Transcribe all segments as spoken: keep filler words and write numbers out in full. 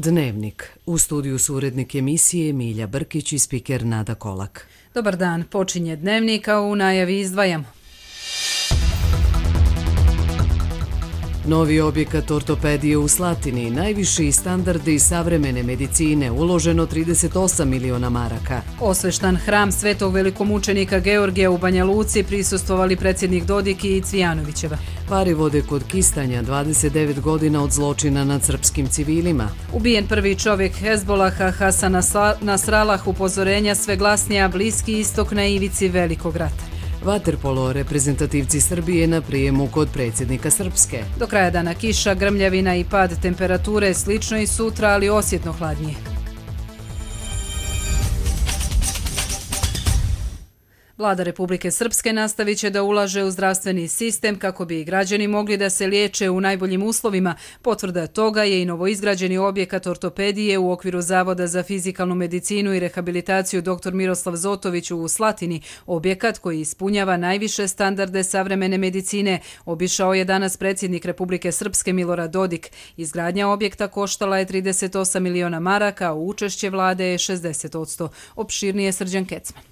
Dnevnik. U studiju su urednik emisije Milja Brkić i spiker Nada Kolak. Dobar dan, počinje Dnevnik, a u najavi izdvajamo. Novi objekat ortopedije u Slatini, najviši standardi savremene medicine, uloženo trideset osam miliona maraka. Osveštan hram Svetog velikomučenika Georgija u Banja Luci prisustvovali predsjednik Dodik i Cvijanovićeva. Pari vode kod Kistanja, dvadeset devet godina od zločina nad srpskim civilima. Ubijen prvi čovjek Hezbolaha Hasan Nasrallah, upozorenja sve glasnija, Bliski istok na ivici velikog rata. Vaterpolo, reprezentativci Srbije na prijemu kod predsjednika Srpske. Do kraja dana kiša, grmljavina i pad temperature, slično i sutra, ali osjetno hladnije. Vlada Republike Srpske nastavit će da ulaže u zdravstveni sistem kako bi građani mogli da se liječe u najboljim uslovima. Potvrda toga je i novoizgrađeni objekat ortopedije u okviru Zavoda za fizikalnu medicinu i rehabilitaciju dr Miroslav Zotović u Slatini. Objekat koji ispunjava najviše standarde savremene medicine obišao je danas predsjednik Republike Srpske Milorad Dodik. Izgradnja objekta koštala je trideset osam miliona maraka, a učešće vlade je šezdeset posto. Opširnije Srđan Kecman.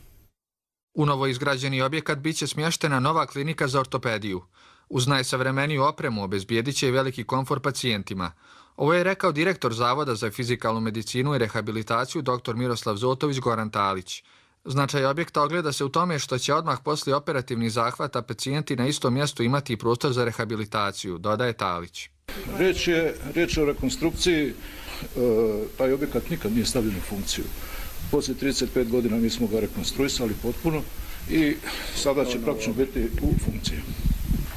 U novoizgrađeni objekat biće smještena nova klinika za ortopediju. Uz najsavremeniju opremu obezbijedit će i veliki komfor pacijentima. Ovo je rekao direktor Zavoda za fizikalnu medicinu i rehabilitaciju dr Miroslav Zotović Goran Talić. Značaj objekta ogleda se u tome što će odmah poslije operativnih zahvata pacijenti na istom mjestu imati i prostor za rehabilitaciju, dodaje Talić. Riječ je, riječ je o rekonstrukciji, taj objekat nikad nije stavljen u funkciju. Poslije trideset pet godina mi smo ga rekonstruisali potpuno i sada će praktično biti u funkciji.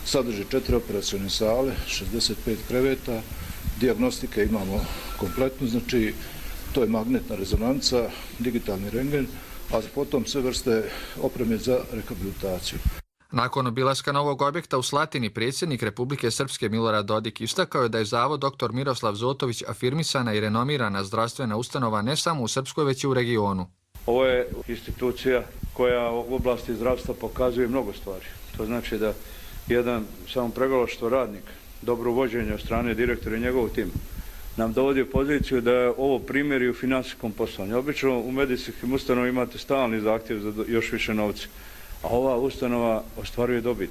Sadrži četiri operacione sale, šezdeset pet kreveta, dijagnostike imamo kompletnu, znači to je magnetna rezonanca, digitalni rentgen, a potom sve vrste opreme za rehabilitaciju. Nakon obilaska novog objekta u Slatini, predsjednik Republike Srpske Milorad Dodik istakao je da je Zavod dr Miroslav Zotović afirmisana i renomirana zdravstvena ustanova ne samo u Srpskoj, već i u regionu. Ovo je institucija koja u oblasti zdravstva pokazuje mnogo stvari. To znači da jedan samo pregalaštvo radnik, dobro vođenje od strane direktora i njegovog tima, nam dovodi u poziciju da je ovo primjer i u finansijskom poslovanju. Obično u medicinskim ustanovama imate stalni zahtjev za još više novca, a ova ustanova ostvaruje dobit.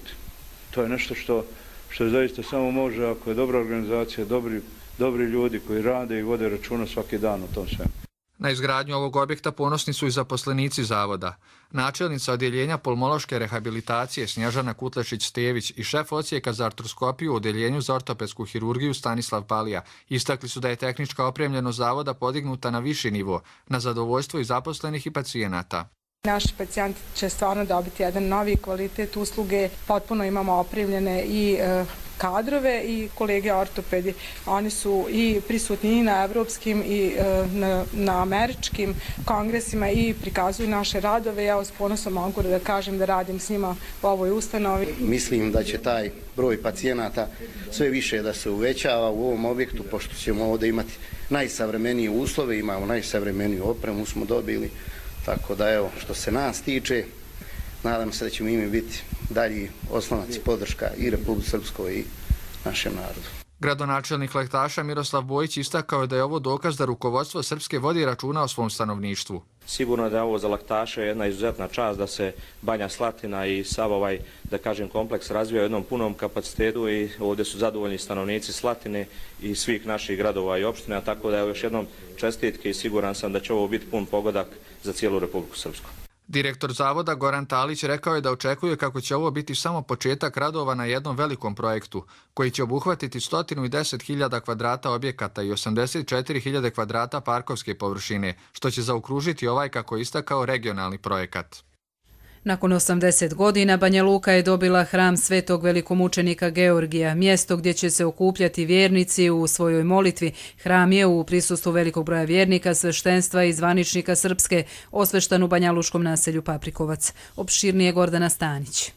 To je nešto što, što zaista samo može ako je dobra organizacija, dobri, dobri ljudi koji rade i vode računa svaki dan o tom svemu. Na izgradnju ovog objekta ponosni su i zaposlenici zavoda. Načelnica odjeljenja pulmološke rehabilitacije Snježana Kutlešić-Stević i šef odsjeka za artroskopiju u odjeljenju za ortopedsku hirurgiju Stanislav Palija istakli su da je tehnička opremljenost zavoda podignuta na viši nivo, na zadovoljstvo i zaposlenih i pacijenata. Naši pacijenti će stvarno dobiti jedan novi kvalitet usluge, potpuno imamo opremljene i e, kadrove i kolege ortopedi. Oni su i prisutni i na evropskim i e, na, na američkim kongresima i prikazuju naše radove. Ja s ponosom mogu da kažem da radim s njima u ovoj ustanovi. Mislim da će taj broj pacijenata sve više da se uvećava u ovom objektu, pošto ćemo ovdje imati najsavremenije uslove, imamo najsavremeniju opremu, smo dobili. Tako da evo, što se nas tiče, nadam se da ćemo imi biti dalji oslonac i podrška i Republike Srpskoj i našem narodu. Gradonačelnik Lehtaša Miroslav Bojić istakao je da je ovo dokaz da rukovodstvo Srpske vodi računa o svom stanovništvu. Sigurno je da je ovo za Lehtaše jedna izuzetna čast da se Banja Slatina i sav ovaj, da kažem, kompleks razvija u jednom punom kapacitetu i ovdje su zadovoljni stanovnici Slatine i svih naših gradova i opština, tako da je još jednom čestitke i siguran sam da će ovo biti pun pogodak za cijelu Republiku Srpsku. Direktor Zavoda Goran Talić rekao je da očekuje kako će ovo biti samo početak radova na jednom velikom projektu, koji će obuhvatiti sto deset hiljada kvadrata objekata i osamdeset četiri hiljade kvadrata parkovske površine, što će zaokružiti ovaj, kako je istakao, regionalni projekat. Nakon osamdeset godina Banja Luka je dobila hram Svetog velikomučenika Georgija, mjesto gdje će se okupljati vjernici u svojoj molitvi. Hram je u prisustvu velikog broja vjernika, sveštenstva i zvaničnika Srpske osveštan u banjaluškom naselju Paprikovac. Opširnije Gordana Stanić.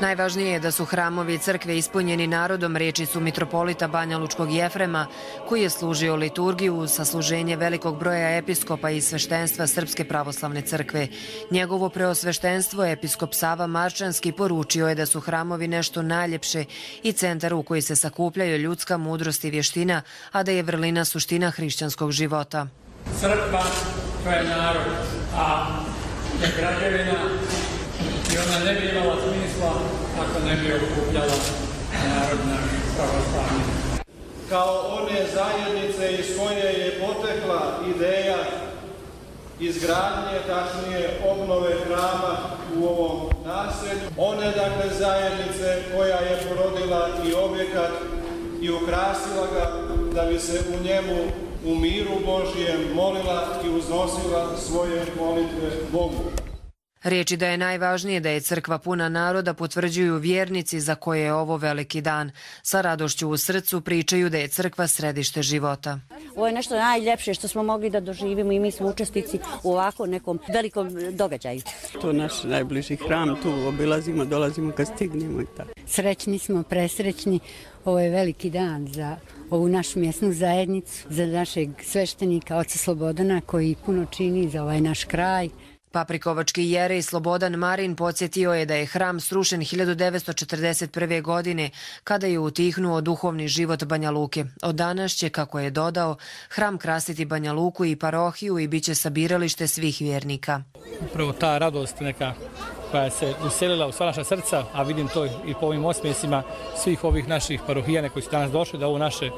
Najvažnije je da su hramovi i crkve ispunjeni narodom, riječi su mitropolita Banjalučkog Jefrema, koji je služio liturgiju uz sasluženje velikog broja episkopa i sveštenstva Srpske pravoslavne crkve. Njegovo preosveštenstvo, episkop Sava Marčanski, poručio je da su hramovi nešto najljepše i centar u koji se sakupljaju ljudska mudrost i vještina, a da je vrlina suština hrišćanskog života. Crkva, to je narod, a je građevina i ona ne bi imala smisla ako ne bi okupljala narod naš pravoslavni. Kao one zajednice iz koje je potekla ideja izgradnje, tačnije obnove hrama u ovom naselju, one dakle zajednice koja je porodila i objekat i ukrasila ga da bi se u njemu u miru Božjem molila i uznosila svoje molitve Bogu. Riječi da je najvažnije da je crkva puna naroda potvrđuju vjernici za koje je ovo veliki dan. Sa radošću u srcu pričaju da je crkva središte života. Ovo je nešto najljepše što smo mogli da doživimo i mi smo učesnici u ovako nekom velikom događaju. To je naš najbliži hram, tu obilazimo, dolazimo kad stignemo i tako. Srećni smo, presrećni. Ovo je veliki dan za ovu našu mjesnu zajednicu, za našeg sveštenika, oca Slobodana, koji puno čini za ovaj naš kraj. Paprikovački jerej Slobodan Marin podsjetio je da je hram srušen hiljadu devetsto četrdeset prve. godine kada je utihnuo duhovni život Banja Luke. Od danas će, kako je dodao, hram krasiti Banja Luku i parohiju i bit će sabiralište svih vjernika. Upravo ta radost neka koja se uselila u sva naša srca, a vidim to i po ovim osmjesima svih ovih naših parohijana koji su danas došli da ovo naše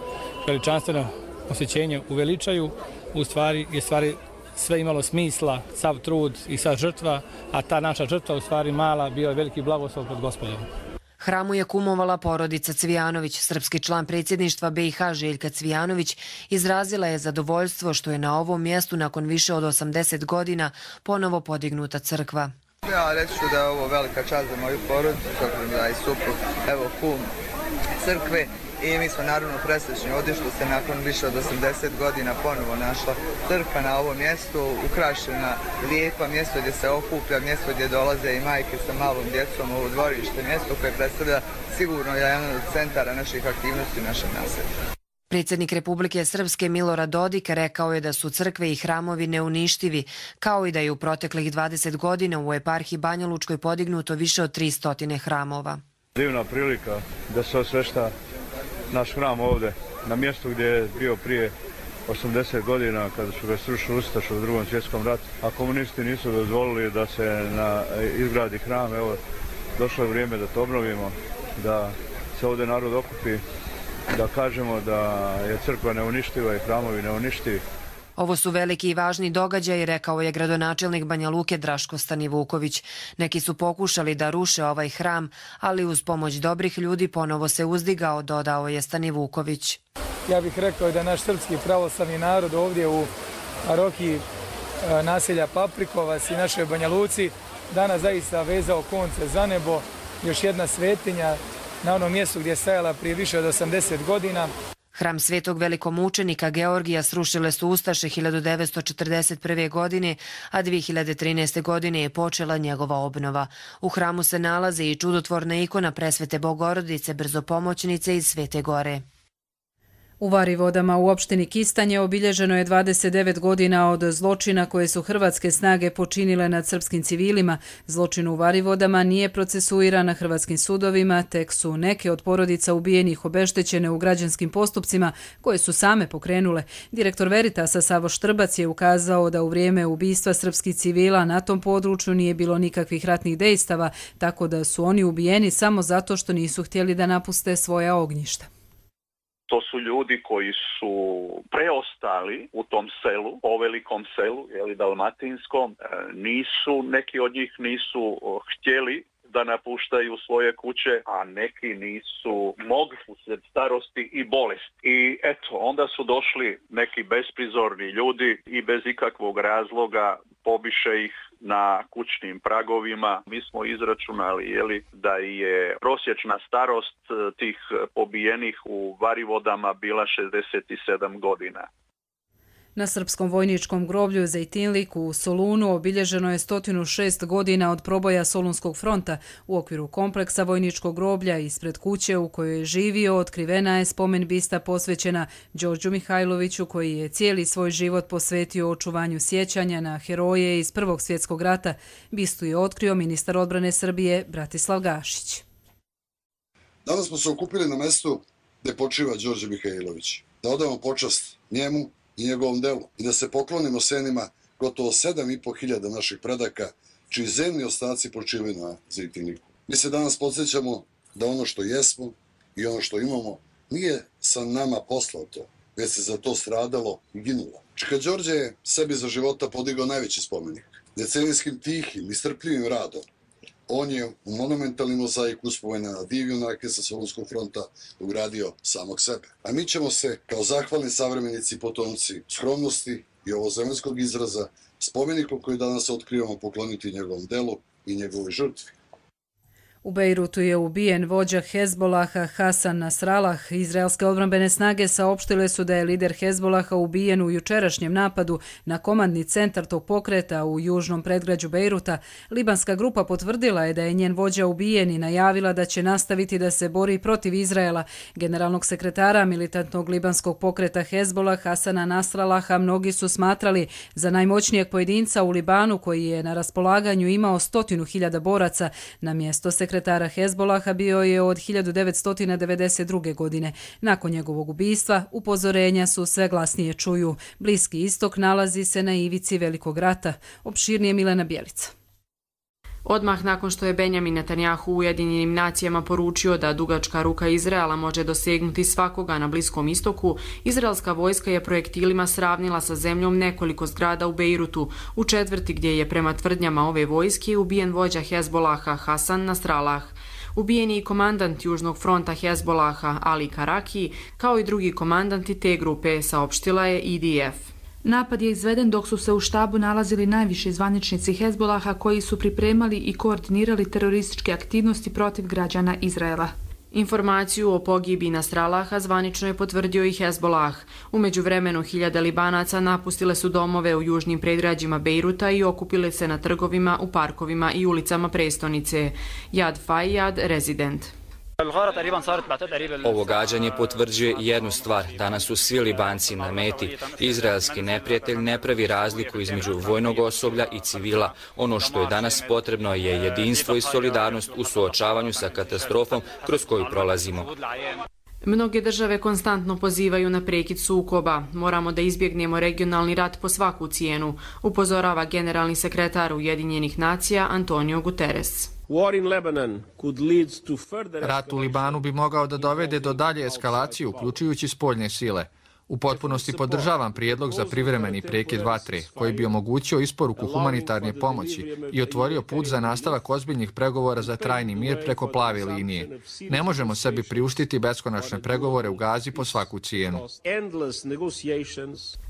veličanstveno posjećenje uveličaju, u stvari je stvari sve imalo smisla, sav trud i sva žrtva, a ta naša žrtva u stvari mala bio je veliki blagoslov pred Gospodom. Hramu je kumovala porodica Cvijanović. Srpski član predsjedništva B i H Željka Cvijanović izrazila je zadovoljstvo što je na ovom mjestu nakon više od osamdeset godina ponovo podignuta crkva. Ja reći ću da je ovo velika čast za moju porodicu, da je suprug, evo kum crkve. I mi smo naravno presrećni ovdje što se nakon više od osamdeset godina ponovo našla crkva na ovom mjestu, ukrašena, lijepa, mjesto gdje se okuplja, mjesto gdje dolaze i majke sa malom djecom, ovo dvorište, mjesto koje predstavlja sigurno jedan od centara naših aktivnosti u našem naselju. Predsjednik Republike Srpske Milorad Dodik rekao je da su crkve i hramovi neuništivi, kao i da je u proteklih dvadeset godina u eparhiji Banjalučkoj podignuto više od tristo hramova. Divna prilika da se osvešta naš hram ovdje, na mjestu gdje je bio prije osamdeset godina kada su ga srušili ustaše u drugom svjetskom ratu, a komunisti nisu dozvolili da se na, izgradi hram. Evo, došlo je vrijeme da to obnovimo, da se ovdje narod okupi, da kažemo da je crkva neuništiva i hramovi neuništivi. Ovo su veliki i važni događaji, rekao je gradonačelnik Banja Luke Draško Stanivuković. Neki su pokušali da ruše ovaj hram, ali uz pomoć dobrih ljudi ponovo se uzdigao, dodao je Stanivuković. Ja bih rekao da naš srpski pravoslavni narod ovdje u parohiji naselja Paprikovac i našoj Banja Luci danas zaista vezao konce za nebo, još jedna svetinja na onom mjestu gdje je stajala prije više od osamdeset godina. Hram svetog velikomučenika Georgija srušile su ustaše hiljadu devetsto četrdeset prve. godine, a dvije hiljade trinaeste. godine je počela njegova obnova. U hramu se nalaze i čudotvorna ikona Presvete Bogorodice, brzopomoćnice iz Svete Gore. U Varivodama u opštini Kistanje obilježeno je dvadeset devet godina od zločina koje su hrvatske snage počinile nad srpskim civilima. Zločin u Varivodama nije procesuiran na hrvatskim sudovima, tek su neke od porodica ubijenih obeštećene u građanskim postupcima koje su same pokrenule. Direktor Veritasa Savo Štrbac je ukazao da u vrijeme ubistva srpskih civila na tom području nije bilo nikakvih ratnih dejstava, tako da su oni ubijeni samo zato što nisu htjeli da napuste svoja ognjišta. To su ljudi koji su preostali u tom selu, o velikom selu, jeli, dalmatinskom. Nisu, neki od njih nisu htjeli da napuštaju svoje kuće, a neki nisu mogli usred starosti i bolesti. I eto, onda su došli neki besprizorni ljudi i bez ikakvog razloga pobiše ih na kućnim pragovima. Mi smo izračunali jeli, da je prosječna starost tih pobijenih u Varivodama bila šezdeset sedam godina. Na srpskom vojničkom groblju Zejtinlik u Solunu obilježeno je sto šest godina od proboja Solunskog fronta. U okviru kompleksa vojničkog groblja ispred kuće u kojoj je živio otkrivena je spomen bista posvećena Đorđu Mihajloviću, koji je cijeli svoj život posvetio očuvanju sjećanja na heroje iz Prvog svjetskog rata. Bistu je otkrio ministar odbrane Srbije Bratislav Gašić. Danas smo se okupili na mestu gdje počiva Đorđe Mihajlović. Da odamo počast njemu i njegovom delu i da se poklonimo senima gotovo sedam i po hiljada naših predaka, čiji zemni ostaci počivaju na Zejtinliku. Mi se danas podsjećamo da ono što jesmo i ono što imamo nije sa nama poslato, već se za to stradalo i ginulo. Čika Đorđe je sebi za života podigao najveći spomenik. Decenijskim tihim i strpljivim radom on je u monumentalni mozaik uspomena na div junake sa Solunskog fronta ugradio samog sebe. A mi ćemo se, kao zahvalni savremenici i potomci skromnosti i ovozemaljskog izraza, spomenikom koji danas otkrivamo, pokloniti njegovom delu i njegovoj žrtvi. U Bejrutu je ubijen vođa Hezbolaha Hasan Nasrallah. Izraelske odbrambene snage saopštile su da je lider Hezbolaha ubijen u jučerašnjem napadu na komandni centar tog pokreta u južnom predgrađu Bejruta. Libanska grupa potvrdila je da je njen vođa ubijen i najavila da će nastaviti da se bori protiv Izraela. Generalnog sekretara militantnog libanskog pokreta Hezbolah Hasana Nasrallaha mnogi su smatrali za najmoćnijeg pojedinca u Libanu, koji je na raspolaganju imao stotinu hiljada boraca. Na mjesto sekretara Sekretara Hezbolaha bio je od hiljadu devetsto devedeset druge. godine. Nakon njegovog ubistva, upozorenja su sve glasnije čuju. Bliski istok nalazi se na ivici velikog rata. Opširnije Milena Bjelica. Odmah nakon što je Benjamin Netanjahu u Ujedinjenim nacijama poručio da dugačka ruka Izraela može dosegnuti svakoga na Bliskom istoku, izraelska vojska je projektilima sravnila sa zemljom nekoliko zgrada u Bejrutu, u četvrti gdje je prema tvrdnjama ove vojske ubijen vođa Hezbolaha Hasan Nasrallah. Ubijen je i komandant Južnog fronta Hezbolaha Ali Karaki, kao i drugi komandanti te grupe, saopštila je I D F. Napad je izveden dok su se u štabu nalazili najviši zvaničnici Hezbolaha koji su pripremali i koordinirali terorističke aktivnosti protiv građana Izraela. Informaciju o pogibi Nasrallaha zvanično je potvrdio i Hezbolah. U međuvremenu hiljade Libanaca napustile su domove u južnim predgrađima Bejruta i okupile se na trgovima, u parkovima i ulicama prestonice. Yad Fayyad, rezident. Ovo gađanje potvrđuje jednu stvar. Danas su svi Libanci na meti. Izraelski neprijatelj ne pravi razliku između vojnog osoblja i civila. Ono što je danas potrebno je jedinstvo i solidarnost u suočavanju sa katastrofom kroz koju prolazimo. Mnoge države konstantno pozivaju na prekid sukoba. Moramo da izbjegnemo regionalni rat po svaku cijenu, upozorava generalni sekretar Ujedinjenih nacija Antonio Guterres. Rat u Libanu bi mogao da dovede do dalje eskalacije, uključujući spoljne sile. U potpunosti podržavam prijedlog za privremeni prekid vatre, koji bi omogućio isporuku humanitarne pomoći i otvorio put za nastavak ozbiljnih pregovora za trajni mir preko plave linije. Ne možemo sebi priuštiti beskonačne pregovore u Gazi po svaku cijenu.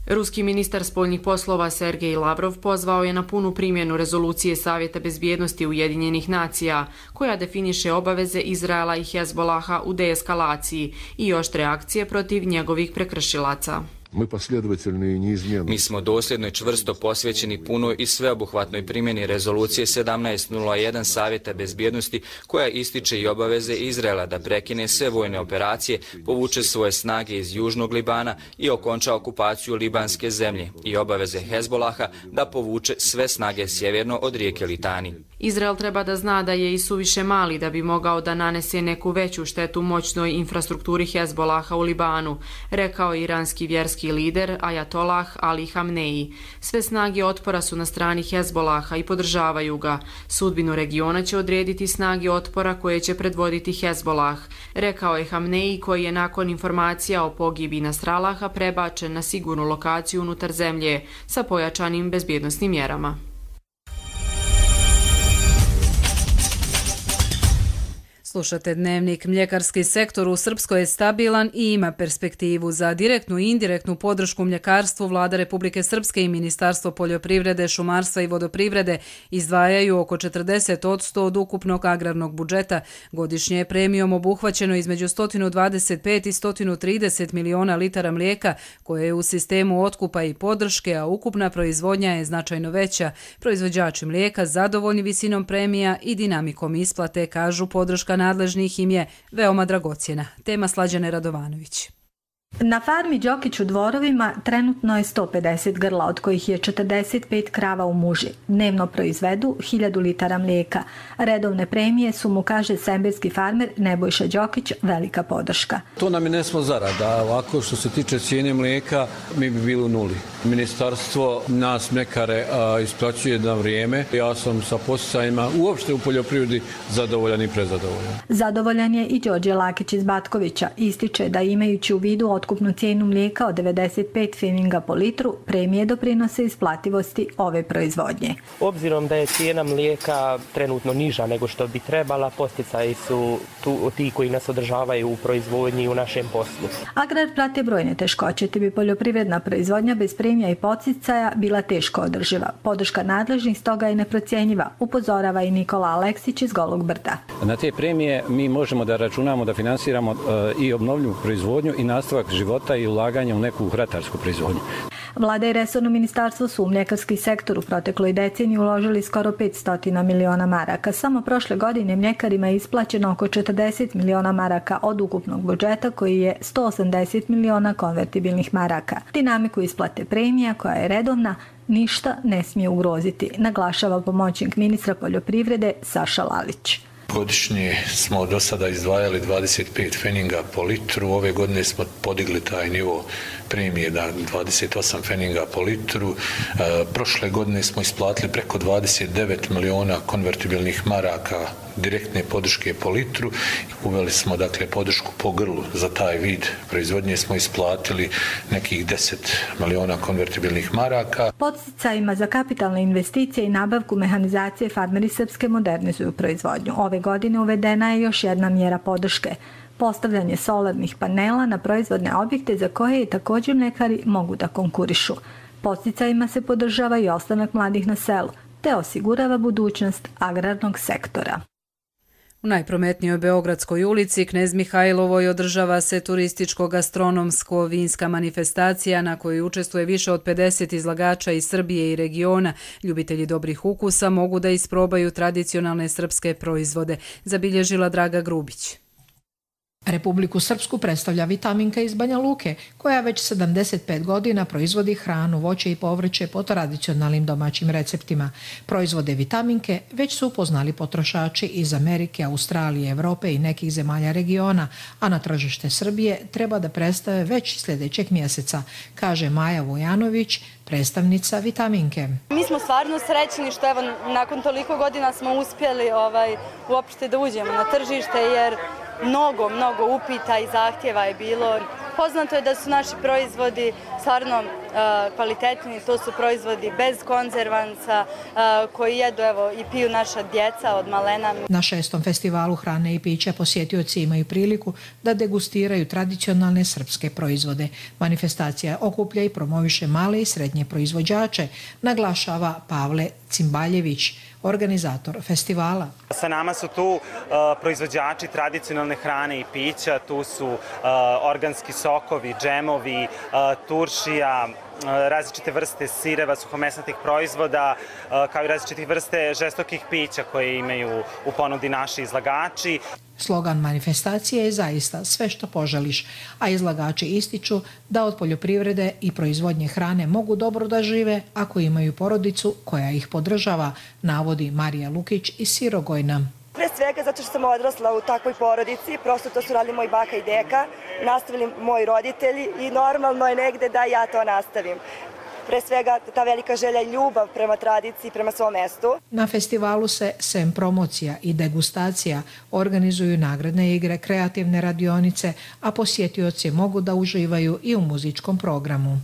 Ruski ministar spoljnih poslova Sergej Lavrov pozvao je na punu primjenu rezolucije Savjeta bezbjednosti Ujedinjenih nacija, koja definiše obaveze Izraela i Hezbolaha u deeskalaciji i oštre akcije protiv njegovih prekršilaca. Mi smo dosljedno i čvrsto posvećeni punoj i sveobuhvatnoj primjeni rezolucije sedamnaest nula jedan Savjeta bezbjednosti, koja ističe i obaveze Izraela da prekine sve vojne operacije, povuče svoje snage iz Južnog Libana i okonča okupaciju libanske zemlje, i obaveze Hezbolaha da povuče sve snage sjeverno od rijeke Litani. Izrael treba da zna da je i suviše mali da bi mogao da nanese neku veću štetu moćnoj infrastrukturi Hezbolaha u Libanu, rekao iranski vjerski lider Ajatolah Ali Hamneji. Sve snage otpora su na strani Hezbolaha i podržavaju ga. Sudbinu regiona će odrediti snage otpora koje će predvoditi Hezbolah, rekao je Hamneji, koji je nakon informacija o pogibi Nasrallaha prebačen na sigurnu lokaciju unutar zemlje sa pojačanim bezbjednosnim mjerama. Slušate Dnevnik. Mljekarski sektor u Srpskoj je stabilan i ima perspektivu. Za direktnu i indirektnu podršku mljekarstvu Vlada Republike Srpske i Ministarstvo poljoprivrede, šumarstva i vodoprivrede izdvajaju oko četrdeset posto od ukupnog agrarnog budžeta. Godišnje je premijom obuhvaćeno između sto dvadeset pet i sto trideset miliona litara mlijeka koje je u sistemu otkupa i podrške, a ukupna proizvodnja je značajno veća. Proizvođači mlijeka zadovoljni visinom premija i dinamikom isplate, kažu, podrška nadležnih im je veoma dragocjena. Tema Slađane Radovanović. Na farmi Đokić u Dvorovima trenutno je sto pedeset grla, od kojih je četrdeset pet krava u muži. Dnevno proizvedu hiljadu litara mlijeka. Redovne premije su mu, kaže semberski farmer Nebojša Đokić, velika podrška. To nam je nesmo zarada. Ovako što se tiče cijene mlijeka, mi bi bili u nuli. Ministarstvo nas mljekare isplaćuje na vrijeme. Ja sam sa posticajima uopšte u poljoprivredi zadovoljan i prezadovoljan. Zadovoljan je i Đorđe Lakić iz Batkovića. Ističe da imajući u vidu otkupnu cijenu mlijeka od devedeset pet feninga po litru, premije doprinose isplativosti ove proizvodnje. Obzirom da je cijena mlijeka trenutno niža nego što bi trebala, posticaji su tu, ti koji nas održavaju u proizvodnji i u našem poslu. Agrar prate brojne teškoće, te bi poljoprivredna proizvodnja bez premija i poticaja bila teško održiva. Podrška nadležnih stoga je neprocjenjiva, upozorava i Nikola Aleksić iz Golog Brda. Na te premije mi možemo da računamo da finansiramo uh, i obnovljivu proizvodnju i nastavak života i ulaganje u neku ratarsku proizvodnju. Vlada i resorno ministarstvo su u mljekarski sektor u protekloj deceniji uložili skoro petsto miliona maraka. Samo prošle godine mljekarima je isplaćeno oko četrdeset miliona maraka od ukupnog budžeta, koji je sto osamdeset miliona konvertibilnih maraka. Dinamiku isplate premija, koja je redovna, ništa ne smije ugroziti, naglašava pomoćnik ministra poljoprivrede Saša Lalić. Godišnje smo do sada izdvajali dvadeset pet feninga po litru, ove godine smo podigli taj nivo premije na dvadeset osam feninga po litru. E, prošle godine smo isplatili preko dvadeset devet miliona konvertibilnih maraka direktne podrške po litru. Uveli smo dakle podršku po grlu za taj vid proizvodnje, smo isplatili nekih deset miliona konvertibilnih maraka. Podsticajima za kapitalne investicije i nabavku mehanizacije farmeri Srpske modernizuju proizvodnju. Ove godine uvedena je još jedna mjera podrške. Postavljanje solarnih panela na proizvodne objekte za koje i također mljekari mogu da konkurišu. Podsticajima se podržava i ostanak mladih na selu, te osigurava budućnost agrarnog sektora. U najprometnijoj Beogradskoj ulici Knez Mihajlovoj održava se turističko-gastronomsko-vinska manifestacija na kojoj učestvuje više od pedeset izlagača iz Srbije i regiona. Ljubitelji dobrih ukusa mogu da isprobaju tradicionalne srpske proizvode, zabilježila Draga Grubić. Republiku Srpsku predstavlja Vitaminka iz Banja Luke, koja već sedamdeset pet godina proizvodi hranu, voće i povrće po tradicionalnim domaćim receptima. Proizvode Vitaminke već su upoznali potrošači iz Amerike, Australije, Evrope i nekih zemalja regiona, a na tržište Srbije treba da predstave već sljedećeg mjeseca, kaže Maja Vujanović, predstavnica Vitaminke. Mi smo stvarno srećni što evo nakon toliko godina smo uspjeli ovaj, uopšte da uđemo na tržište, jer mnogo, mnogo upita i zahtjeva je bilo. Poznato je da su naši proizvodi stvarno uh, kvalitetni, to su proizvodi bez konzervansa uh, koji jedu evo, i piju naša djeca od malena. Na šestom festivalu hrane i pića posjetioci imaju priliku da degustiraju tradicionalne srpske proizvode. Manifestacija okuplja i promoviše male i srednje proizvođače, naglašava Pavle Cimbaljević, organizator festivala. Sa nama su tu uh, proizvođači tradicionalne hrane i pića, tu su uh, organski sokovi, džemovi, uh, turšija, uh, različite vrste sireva, suhomesnatih proizvoda, uh, kao i različitih vrste žestokih pića koje imaju u ponudi naši izlagači. Slogan manifestacije je zaista sve što poželiš, a izlagači ističu da od poljoprivrede i proizvodnje hrane mogu dobro da žive ako imaju porodicu koja ih podržava, navodi Marija Lukić iz Sirogojna. Pre svega zato što sam odrasla u takvoj porodici, prosto to su radili moj baka i deka, nastavili moji roditelji i normalno je negde da ja to nastavim. Pre svega ta velika želja i ljubav prema tradiciji, prema svom mestu. Na festivalu se, sem promocija i degustacija, organizuju nagradne igre, kreativne radionice, a posjetioci mogu da uživaju i u muzičkom programu.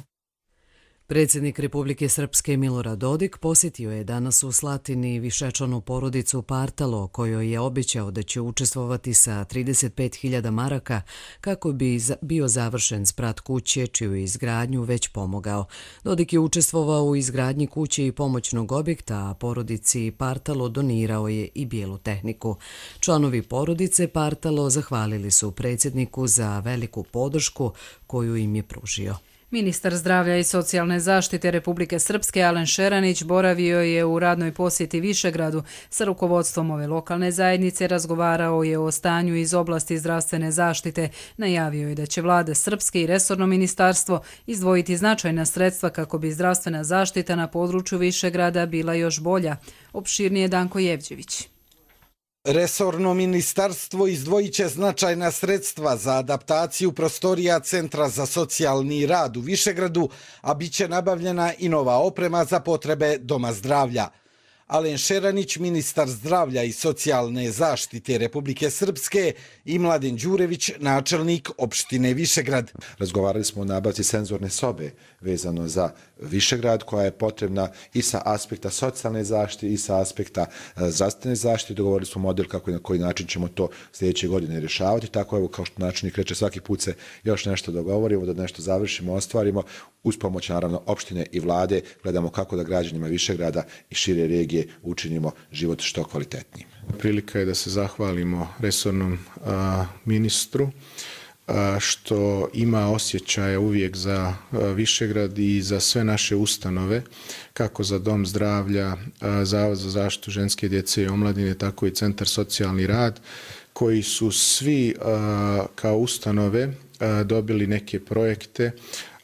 Predsjednik Republike Srpske Milorad Dodik posjetio je danas u Slatini višečlanu porodicu Partalo, kojoj je obećao da će učestvovati sa trideset pet hiljada maraka kako bi bio završen sprat kuće čiju izgradnju već pomogao. Dodik je učestvovao u izgradnji kuće i pomoćnog objekta, a porodici Partalo donirao je i bijelu tehniku. Članovi porodice Partalo zahvalili su predsjedniku za veliku podršku koju im je pružio. Ministar zdravlja i socijalne zaštite Republike Srpske Alen Šeranić boravio je u radnoj posjeti Višegradu. Sa rukovodstvom ove lokalne zajednice razgovarao je o stanju iz oblasti zdravstvene zaštite. Najavio je da će vlada Srpske i resorno ministarstvo izdvojiti značajna sredstva kako bi zdravstvena zaštita na području Višegrada bila još bolja. Opširnije Danko Jevđević. Resorno ministarstvo izdvojit će značajna sredstva za adaptaciju prostorija Centra za socijalni rad u Višegradu, a bit će nabavljena i nova oprema za potrebe Doma zdravlja. Alen Šeranić, ministar zdravlja i socijalne zaštite Republike Srpske, i Mladen Đurević, načelnik opštine Višegrad. Razgovarali smo o nabavci senzorne sobe vezano za Višegrad, koja je potrebna i sa aspekta socijalne zaštite i sa aspekta zdravstvene zaštite. Dogovorili smo model kako i na koji način ćemo to sljedeće godine rješavati. Tako evo, kao što načelnik reče, svaki put se još nešto dogovorimo, da nešto završimo, ostvarimo. Uz pomoć naravno opštine i vlade gledamo kako da građanima Višegrada i šire regije učinimo život što kvalitetnijim. Prilika je da se zahvalimo resornom a, ministru a, što ima osjećaja uvijek za a, Višegrad i za sve naše ustanove, kako za Dom zdravlja, a, Zavod za zaštitu ženske djece i omladine, tako i Centar socijalni rad, koji su svi a, kao ustanove a, dobili neke projekte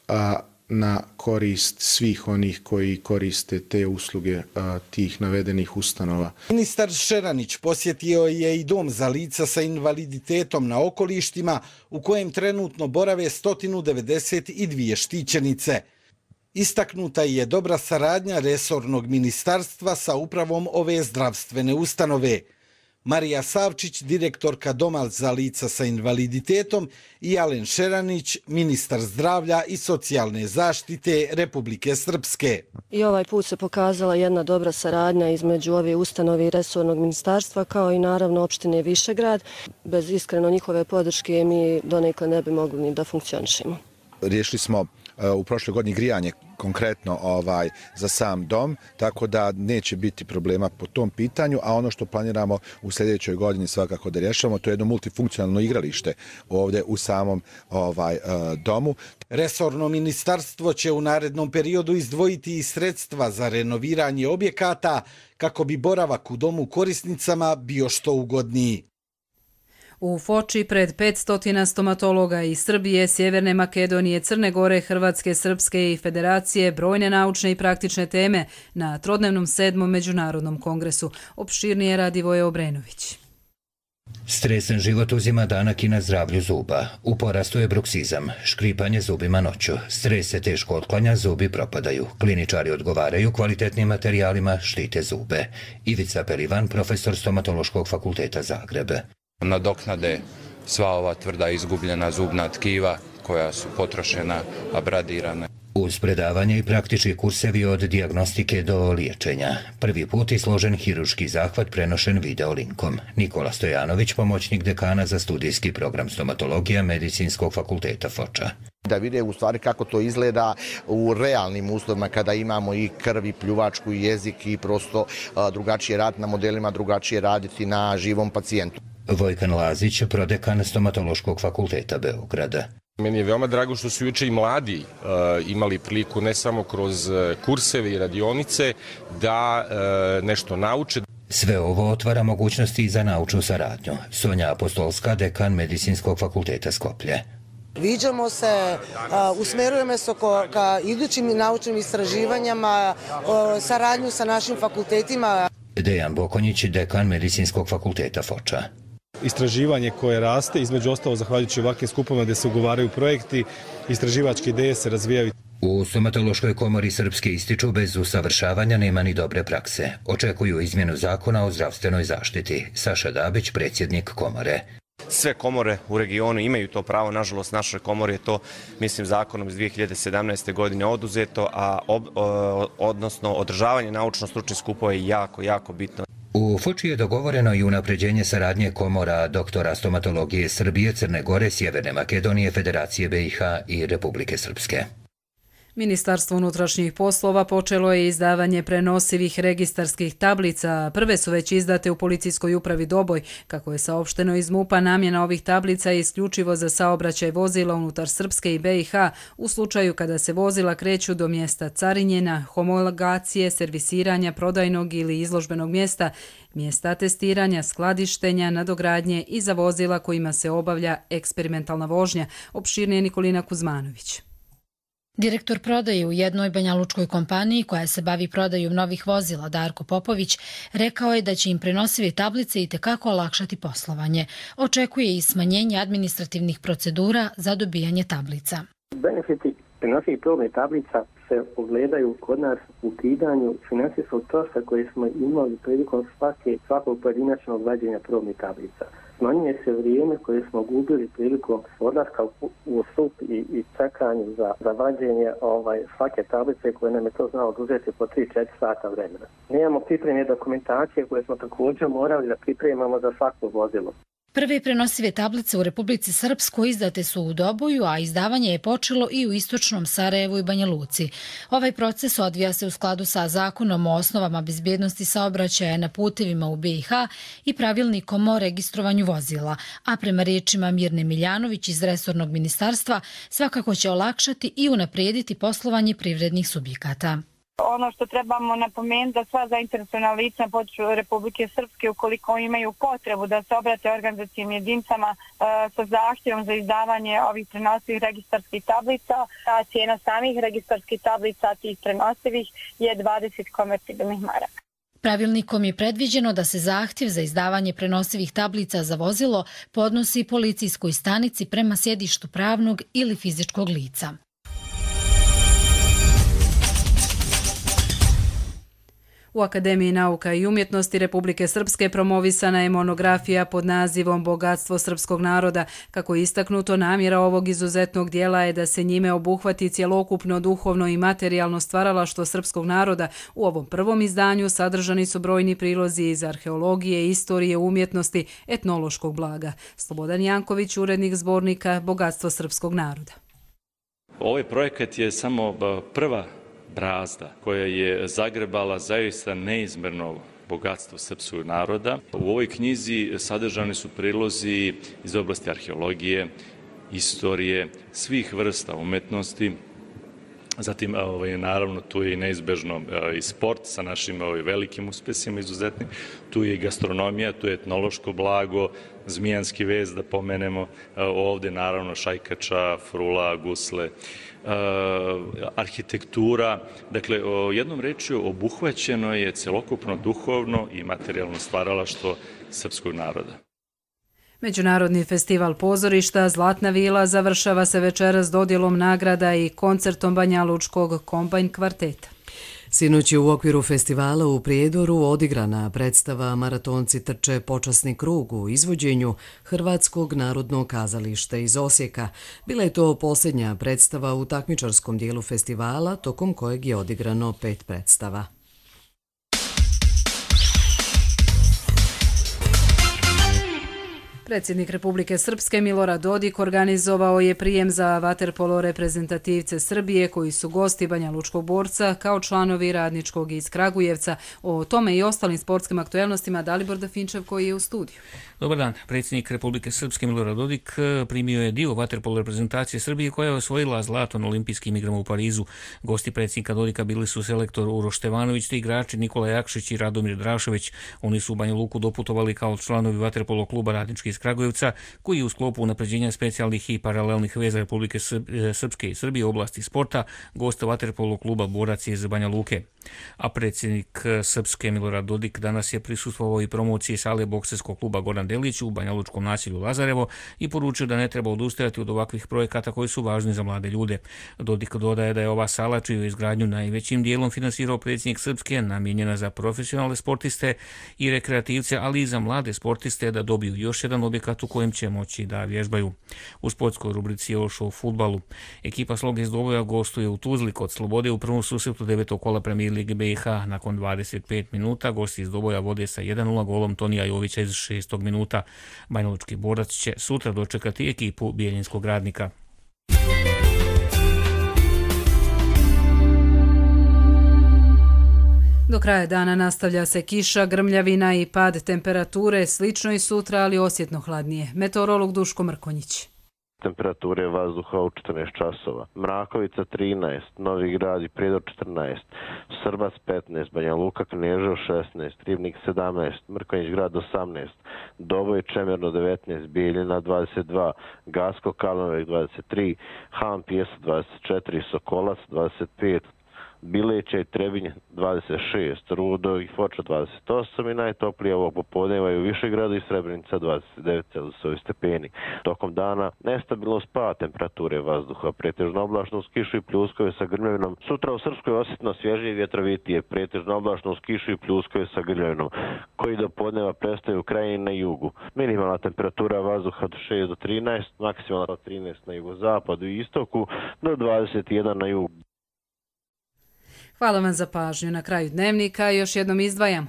a, na korist svih onih koji koriste te usluge a, tih navedenih ustanova. Ministar Šeranić posjetio je i dom za lica sa invaliditetom na okolištima, u kojem trenutno borave sto devedeset dvije štićenice. Istaknuta je dobra saradnja resornog ministarstva sa upravom ove zdravstvene ustanove. Marija Savčić, direktorka Doma za lica sa invaliditetom, i Alen Šeranić, ministar zdravlja i socijalne zaštite Republike Srpske. I ovaj put se pokazala jedna dobra saradnja između ove ustanove i resornog ministarstva, kao i naravno opštine Višegrad. Bez iskreno njihove podrške mi donekle ne bi mogli ni da funkcionišemo. Riješili smo u prošloj godini grijanje konkretno ovaj za sam dom, tako da neće biti problema po tom pitanju, a ono što planiramo u sljedećoj godini svakako da rješavamo, to je jedno multifunkcionalno igralište ovdje u samom ovaj domu. Resorno ministarstvo će u narednom periodu izdvojiti i sredstva za renoviranje objekata kako bi boravak u domu korisnicama bio što ugodniji. U Foči pred petsto stomatologa iz Srbije, Sjeverne Makedonije, Crne Gore, Hrvatske, Srpske i Federacije brojne naučne i praktične teme na trodnevnom sedmom međunarodnom kongresu. Opširnije Radivoje Obrenović. Stresan život uzima danak i na zdravlju zuba. U porastu je bruksizam, škripanje zubima noću. Stres se teško otklanja, zubi propadaju. Kliničari odgovaraju kvalitetnim materijalima, štite zube. Ivica Pelivan, profesor Stomatološkog fakulteta Zagrebe. Nadoknade sva ova tvrda izgubljena zubna tkiva koja su potrošena, abradirana. Uz predavanje i praktični kursevi od dijagnostike do liječenja. Prvi put i složen hiruški zahvat prenošen video linkom. Nikola Stojanović, pomoćnik dekana za studijski program stomatologija Medicinskog fakulteta Foča. Da vide u stvari kako to izgleda u realnim uslovima kada imamo i krv i pljuvačku i jezik i prosto drugačije raditi na modelima, drugačije raditi na živom pacijentu. Vojkan Lazić, prodekan Stomatološkog fakulteta Beograda. Meni je veoma drago što su juče i mladi uh, imali priliku ne samo kroz kurseve i radionice da uh, nešto nauče. Sve ovo otvara mogućnosti i za naučnu saradnju. Sonja Apostolska, dekan Medicinskog fakulteta Skoplje. Viđamo se, uh, usmerujemo se ka idućim naučnim istraživanjama, uh, saradnju sa našim fakultetima. Dejan Bokonjić, dekan Medicinskog fakulteta Foča. Istraživanje koje raste, između ostalo zahvaljujući ovakvim skupovima gdje se ugovaraju projekti, istraživačke ideje se razvijaju. U Stomatološkoj komori Srpske ističu bez usavršavanja nema ni dobre prakse. Očekuju izmjenu zakona o zdravstvenoj zaštiti. Saša Dabić, predsjednik komore. sve komore u regionu imaju to pravo, nažalost našoj komori je to, mislim, zakonom iz dvije hiljade sedamnaeste. godine oduzeto, a ob, odnosno održavanje naučno-stručnih skupova je jako, jako bitno. U Foči je dogovoreno i unapređenje saradnje komora doktora stomatologije Srbije, Crne Gore, Sjeverne Makedonije, Federacije B i H i Republike Srpske. Ministarstvo unutrašnjih poslova počelo je izdavanje prenosivih registarskih tablica. Prve su već izdate u policijskoj upravi Doboj. Kako je saopšteno iz MUP-a, namjena ovih tablica je isključivo za saobraćaj vozila unutar Srpske i B i H u slučaju kada se vozila kreću do mjesta carinjenja, homologacije, servisiranja, prodajnog ili izložbenog mjesta, mjesta testiranja, skladištenja, nadogradnje i za vozila kojima se obavlja eksperimentalna vožnja, opširnije Nikolina Kuzmanović. Direktor prodaje u jednoj banjalučkoj kompaniji koja se bavi prodajom novih vozila, Darko Popović, rekao je da će im prenosive tablice itekako olakšati poslovanje. Očekuje i smanjenje administrativnih procedura za dobijanje tablica. Benefiti prenosivih probnih tablica se ogledaju kod nas u ukidanju finansijskog troška koje smo imali prilikom svake, svakog pojedinačnog vađenja probnih tablica. Smanjuje se vrijeme koje smo gubili prilikom odlaska u, u stup i, i čekanju za, za vađenje ovaj, svake tablice koje nam je to znalo oduzeti po tri do četiri sata vremena. Nemamo pripremne dokumentacije koje smo također morali da pripremamo za svako vozilo. Prve prenosive tablice u Republici Srpskoj izdate su u Doboju, a izdavanje je počelo i u istočnom Sarajevu i Banja Luci. Ovaj proces odvija se u skladu sa zakonom o osnovama bezbjednosti saobraćaja na putevima u B i H i pravilnikom o registrovanju vozila, a prema riječima Mirne Miljanović iz resornog ministarstva svakako će olakšati i unaprijediti poslovanje privrednih subjekata. Ono što trebamo napomenuti da sva zainteresovana lica na području Republike Srpske, ukoliko imaju potrebu da se obrate organizacijim jedinicama e, sa zahtjevom za izdavanje ovih prenosivih registarskih tablica, a cijena samih registarskih tablica tih prenosivih je dvadeset konvertibilnih maraka. Pravilnikom je predviđeno da se zahtjev za izdavanje prenosivih tablica za vozilo podnosi policijskoj stanici prema sjedištu pravnog ili fizičkog lica. U Akademiji nauka i umjetnosti Republike Srpske promovisana je monografija pod nazivom Bogatstvo srpskog naroda. Kako je istaknuto, namjera ovog izuzetnog dijela je da se njime obuhvati cjelokupno duhovno i materijalno stvaralaštvo srpskog naroda. U ovom prvom izdanju sadržani su brojni prilozi iz arheologije, istorije, umjetnosti, etnološkog blaga. Slobodan Janković, urednik zbornika Bogatstvo srpskog naroda. Ovaj projekat je samo prva brazda koja je zagrebala zaista neizmjerno bogatstvo srpskog naroda. U ovoj knjizi sadržani su prilozi iz oblasti arheologije, istorije, svih vrsta umetnosti. Zatim, ovaj, naravno, tu je i neizbežno i sport sa našim ovaj, velikim uspjesima izuzetnim. Tu je i gastronomija, tu je etnološko blago, zmijanski vez, da pomenemo ovdje, naravno, šajkača, frula, gusle, arhitektura. Dakle, jednom rečju obuhvaćeno je celokupno duhovno i materijalno stvaralaštvo srpskog naroda. Međunarodni festival pozorišta Zlatna vila završava se večeras dodjelom nagrada i koncertom banjalučkog kombajn kvarteta. Sinoć je u okviru festivala u Prijedoru odigrana predstava Maratonci trče počasni krug u izvođenju Hrvatskog narodnog kazališta iz Osijeka. Bila je to posljednja predstava u takmičarskom dijelu festivala, tokom kojeg je odigrano pet predstava. Predsjednik Republike Srpske Milorad Dodik organizovao je prijem za vaterpolo reprezentativce Srbije koji su gosti Banjalučkog borca kao članovi radničkog iz Kragujevca. O tome i ostalim sportskim aktuelnostima Dalibor Dafinčev koji je u studiju. Dobar dan. Predsjednik Republike Srpske Milorad Dodik primio je dio vaterpolo reprezentacije Srbije koja je osvojila zlato na olimpijskim igrama u Parizu. Gosti predsjednika Dodika bili su selektor Uroš Stevanović te igrači Nikola Jakšić i Radomir Drašović. Oni su u Banja Luku doputovali kao članovi vaterpolo kluba radnički iz Kragujevca, koji je u sklopu unapređenja specijalnih i paralelnih veza Republike Srpske i Srbije u oblasti sporta gost vaterpolo kluba Borac iz Banja Luke. A predsjednik Srpske Milorad Dodik danas je prisustvovao i promociji sale bokserskog kluba Goran Delić u banjalučkom naselju Lazarevo i poručio da ne treba odustajati od ovakvih projekata koji su važni za mlade ljude. Dodik dodaje da je ova sala, čiju izgradnju najvećim dijelom finansirao predsjednik Srpske, namijenjena za profesionalne sportiste i rekreativce, ali i za mlade sportiste da dobiju još jedan objekat u kojem će moći da vježbaju. U sportskoj rubrici još o fudbalu. Ekipa Sloge iz Doboja gostuje u Tuzli kod Slobode u prvom susretu devetog kola Premijer Lige B i H. Nakon dvadeset pet minuta gosti iz Doboja vode sa jedan nula golom Tonija Jovića iz šestog minuta. Banjalučki borac će sutra dočekati ekipu Bijeljinskog Radnika. Do kraja dana nastavlja se kiša, grmljavina i pad temperature, slično i sutra, ali osjetno hladnije. Meteorolog Duško Mrkonjić. Temperature vazduha u četrnaest časova. Mrakovica trinaest, Novi Grad i Prijedor četrnaest, Srbac petnaest, Banja Luka, Kneževo šesnaest, Ribnik sedamnaest, Mrkonjić Grad osamnaest, Doboj Čemerno devetnaest, Bijeljina dvadeset dva, Gacko Kalnovek dvadeset tri, Han Pijesak dvadeset četiri, Sokolac dvadeset pet, Bileća i Trebinj dvadeset šest, Rudo i Foča dvadeset osam i najtoplije ovog popodneva i u Višegradu i Srebrenica dvadeset devet celzijusovih stepeni. Tokom dana nestabilno spad temperature vazduha, pretežno oblačno uz kišu i pljuskove sa grmljavinom. Sutra u Srpskoj osjetno svježije i vjetrovitije, pretežno oblačno uz kišu i pljuskove sa grmljavinom, koji do podneva prestaju u krajini na jugu. Minimalna temperatura vazduha od šest do trinaest, maksimalna od trinaest na jugozapadu i istoku do dvadeset jedan na jugu. Hvala vam za pažnju. Na kraju dnevnika još jednom izdvajamo.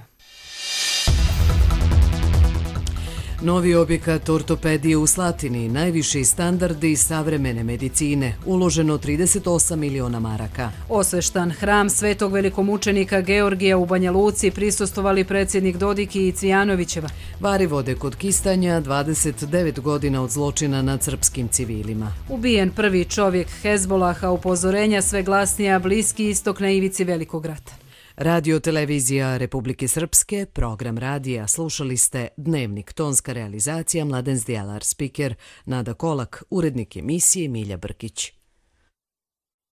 Novi objekat ortopedije u Slatini, najviši standardi savremene medicine, uloženo trideset osam miliona maraka. Osveštan hram svetog velikomučenika Georgija u Banja Luci prisustvovali predsjednik Dodik i Cvijanovićeva. Vari vode kod Kistanja, dvadeset devet godina od zločina nad srpskim civilima. Ubijen prvi čovjek Hezbolaha, upozorenja sve glasnija, Bliski istok na ivici velikog rata. Radio televizija Republike Srpske, program radija, slušali ste Dnevnik, tonska realizacija Mladen Zdjelar, spiker Nada Kolak, urednik emisije Milja Brkić.